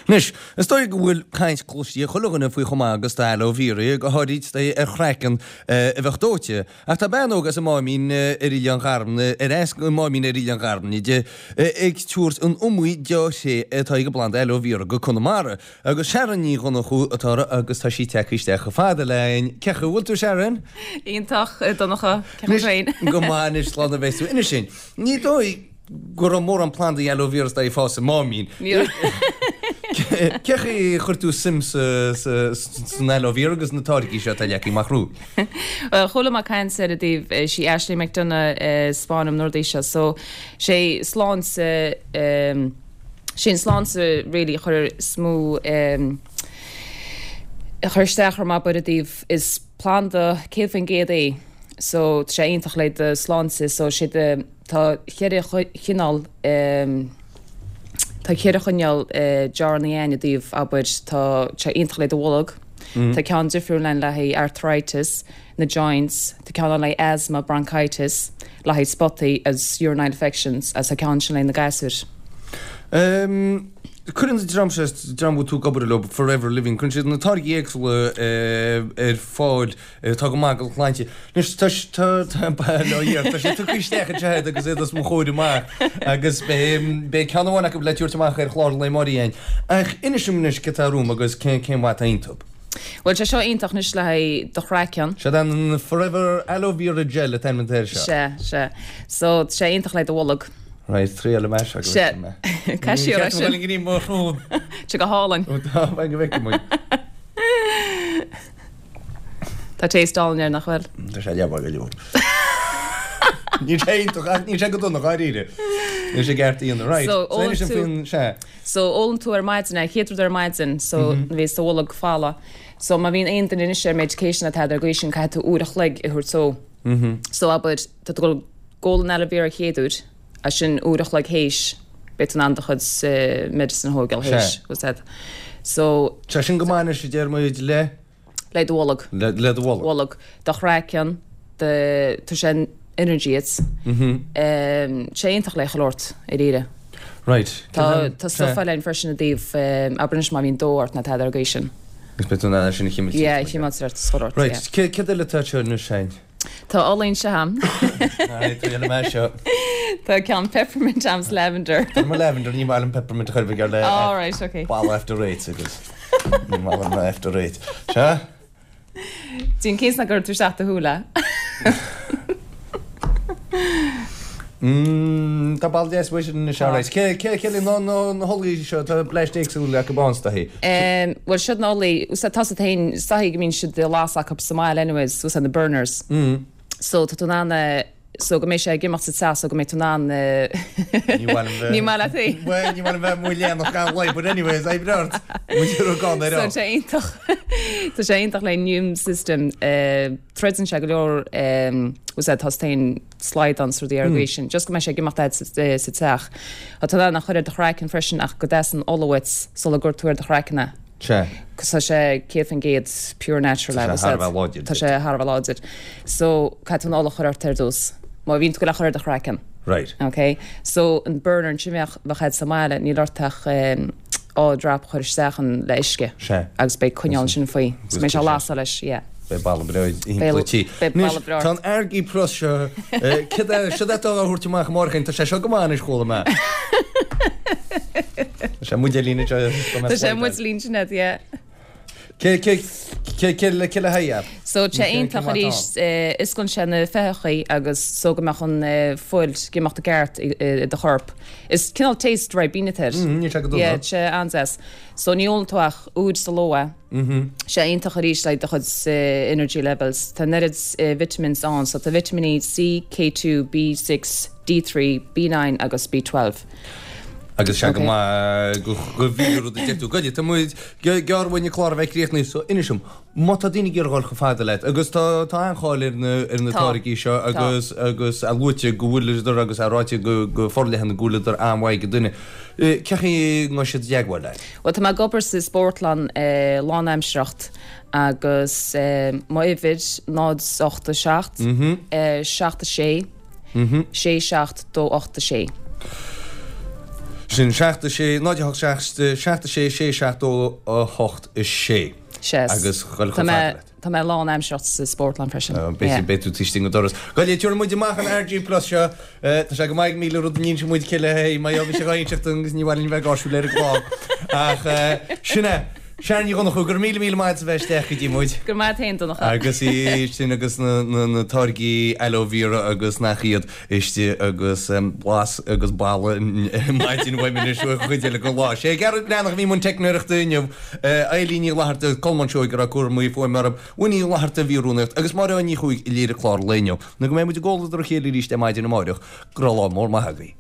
Anois, is dóigh go bhfuil caint cloiste ag chuile dhuine faoi chomh maith agus atá aloe vera, go háirid ar chraiceann a bheadh dóite. Ach tá bean óg as an Máimín ar Oileán Gharmna, ar as an Máimín ar Oileán Gharmna di, ag tabhairt an iomaí dea-thréith atá ag an bplanda aloe vera go Conamara. Agus Sharon Ní Dhonnchú atá uirthi agus tá sí tagtha isteach chomh fada linn. Cén chaoi a bhfuil tú, Sharon? Iontach, a Dhonncha. Cén chaoi féin? Go maith anois, slán a bheas tú. Inis dúinn, ní dóigh go raibh mórán plandaí aloe vera ag fás sa Máimín. Cén chaoi a chuir tú suim san aloe vera agus na táirgí seo atá leagtha amach romhat? Bhuel, chuala mé caint ar an dtaobh, sí Ashley McDonagh a 'spáin dom na rudaí seo, so sé sláinte, sé an sláinte really a chuir is mó a chuir isteach orm abair i dtaobh, is planda 100% é, so tá sé iontach le do sláinte, so sé do, tá cheithre chineál, tá cheithre chineál jarrannaí ann i dtaobh, abair, tá sé iontach le do bholg, tá ceann difriúil ann le haghaidh arthritis, na joints, tá ceann ann le haghaidh asthma, bronchitis, le haghaidh spotaí agus urinary infections agus tá ceann ansin le haghaidh na gasúir. Cuireann an dream seo, dream a bhfuil tú ag obair leo, Forever Living, cuireann siad na táirgí éagsúla ar fáil atá go maith don tsláinte. Anois tá tá tá bail ó Dhia ort, tá sé tugtha isteach anseo agat agus iad os mo chomhair amach agus beidh beidh ceann amháin acu le tabhairt amach ar chlár an lae amáireach againn. Ach inis dom anois cad tá romham agus cén cén mhaith atá iontu. Bhuel tá seo iontach anois le haghaidh do chraiceann. Seod an Forever Aloe Vera Gel an t-ainm atá air seo. Sea, sea. So tá sé iontach le do bholg. Right, triailfidh mé seo go Sea. bhfeicfidh mé. Caith siar é Ní sin. cheart dom dul i ngreim mo shrón. Tá sé go hálainn. Ó tá, go bhfeicfidh muid. Tá taste álainn air, nach bhfuil? Tá sé leamh go leor. Níl sé iontach ach níl sé go dona, dháiríre. Níl sé ceart a dhéanamh. Right. So, So ólann inis dom tú- faoin, sea. So, ólann tú ar maidin é, chéad rud ar maidin, so nuair a bhíos do bholg folamh. So, má bhíonn aon duine anois ar medication atá ar gcaoi sin, caithfidh tú uair a chloig a thabhairt dó. So, abair, tá tú ag dul ag ól an aloe vera chéad uair, as sin uair a chloig théis, beidh tú in ann do chuid medicine a thógáil théis, what's that? So. Tá sin go maith anois a deir muid le. Le do bholg. Le do bholg. Bholg. Do chraiceann, do, tá sé energy duit. Tá sé iontach le chuile shórt, dáiríre. Right. Tá, tá stuff eile ann freisin i dtaobh, abair anois má bhíonn dó ort nó tada ar an gcaoi sin. Agus beidh tú in ann é sin a chimilt. Yeah, a chimilt ort is chuile shórt, yeah. Right, céard eile atá anseo anois, Shane? Tá ola anseo a'm. Right, triailfidh mé seo. Tá ceann peppermint a'm 's lavender. Tá mo lavender, ní maith liom peppermint a chur bheith le All right, okay. boladh after eight agus ní maith liom after eight. Sea? Déan cinnte nach gcuireann tú isteach do shúil é. Mmm, tá boladh deas uaidh sin anois, all right. Cé, cé, cé le na, na, na holaí seo, tá bleaist éagsúil acu ann, is dóichí. Em, bhuel, siod na holaí, úsáid, tá siad féin, is dóichí go mbíonn siad ag lasadh acu sa mbaile anyways, úsáid na burners. So, tá tú in ann, eh, so go mbeidh sé ag imeacht sa teach so go mbeidh tú in ann, eh, Ní mhaith liom bheith. Ní maith leat é. Bhuel, ní maith liom bheith moilléanach gan lae, but anyways, oibre ort. Muid ar gan ar So, tá sé iontach, tá sé iontach le immune system, eh, troideann sé go leor, em, úsáid, tá féin, slaghdán is rudaí ar an gcaoi sin. Just go mbeidh sé ag imeacht a'd sa teach. Tá tú in ann a chur ar do chraiceann freisin ach go dteastaíonn ola uait sula gcuir tú ar do chraiceann é. Sea. Cos tá sé 100% pure natural Tá sé thar a bheith láidir. Tá sé thar a bheith láidir. So, caithfidh tú an ola a chur ort ar dtús. Má bhíonn tú ag goil a chur ar do chraiceann. Right. Ok. So, an burner ansin bheadh, bheadh a'd sa mbaile, níl ort ach dhá drop a chur isteach ann le uisce. Sea. Agus beidh coinneal ansin faoi. So, beidh sé ag lasadh leis, yeah. Beidh boladh breá thimpeall an tí. Beidh boladh breá. Tá an Argi Plus seo, céard é, seo atá á thabhairt amach amárach againn, tá sé seo go maith anois, chuala mé. Tá sé muidéilín anseo. Tá sé muidéilín sin agat, yeah. Cé, cé, cé, cé le, cé le haghaidh é? So, tá sé iontach arís, osclaíonn sé na féitheachaí agus so go mbeadh an fuil ag imeacht i gceart i do chorp. Is cineál taste Ribena atá air. Níl sé go dona. Yeah, tá sé an-deas. So ní ólann tú ach uair sa ló é. Sé iontach arís le do chuid energy levels. Tá an oiread vitamins ann, so tá vitimíní C, K2, B6, D3, B9 agus B12. Agus sé go maith go mhíle rud a deir tú. Goidé, tá muid gearr uainn an clár a bheith críochnaithe, so inis dom, má tá daoine ag iarraidh dhul chomh fada leat, agus tá tá an-cháil ar na ar na táirgí seo agus agus é luaite go bhfuileadar agus é ráite go go forleathan go bhfuileadar an-mhaith do dhuine. Cén chaoi a ngabhfaidh siad i dteagmháil leat? Bhuel, tá mé ag obair sa spórtlann lánaimseartha agus m'uimhir 0 8 7 7 6 6 7 2 8 6. Sin 7, 6, 0, 8, 7, 7, 6, 6, 7, 2, 8, 6. Sea. Agus dhul chomh fada leat. Tá mé lán-aimseartha sa spórtlann freisin. Beidh tú taobh istigh den doras. Gabh i leith, tabharfaidh muid amach an RG Plus seo. Tá sé go maith ag 1000 rud a n-inseoidh muid cile, hé, mar gheall bhí sé dhá inseacht dúinn agus ní mhaith linn bheith gáirsiúil ar an gclár. Ach sin é. Sharon Ní Dhonnchú, go raibh míle míle maith agat as a bheith isteach go dtí muid. Go raibh maith agat féin, Donncha. Agus í sin agus na táirgí aloe vera agus nach iad istigh agus blas agus boladh maidin uaim anois an chuid eile den lá. Sé Gearóid Breathnach a bhí i mbun teicneoireachta inniu, Eilín Ní Fhlatharta, Colmán Seoighe a raibh cúramaí fuaime orthu, Winnie Uí Fhlatharta a bhí i rúnaíocht agus Máire Ní Chuaig a léirigh clár an lae inniu. Nó go mbeidh muid i gcomhluadar a chéile arís ar maidin amáireach, go raibh lá mór maith agaibh.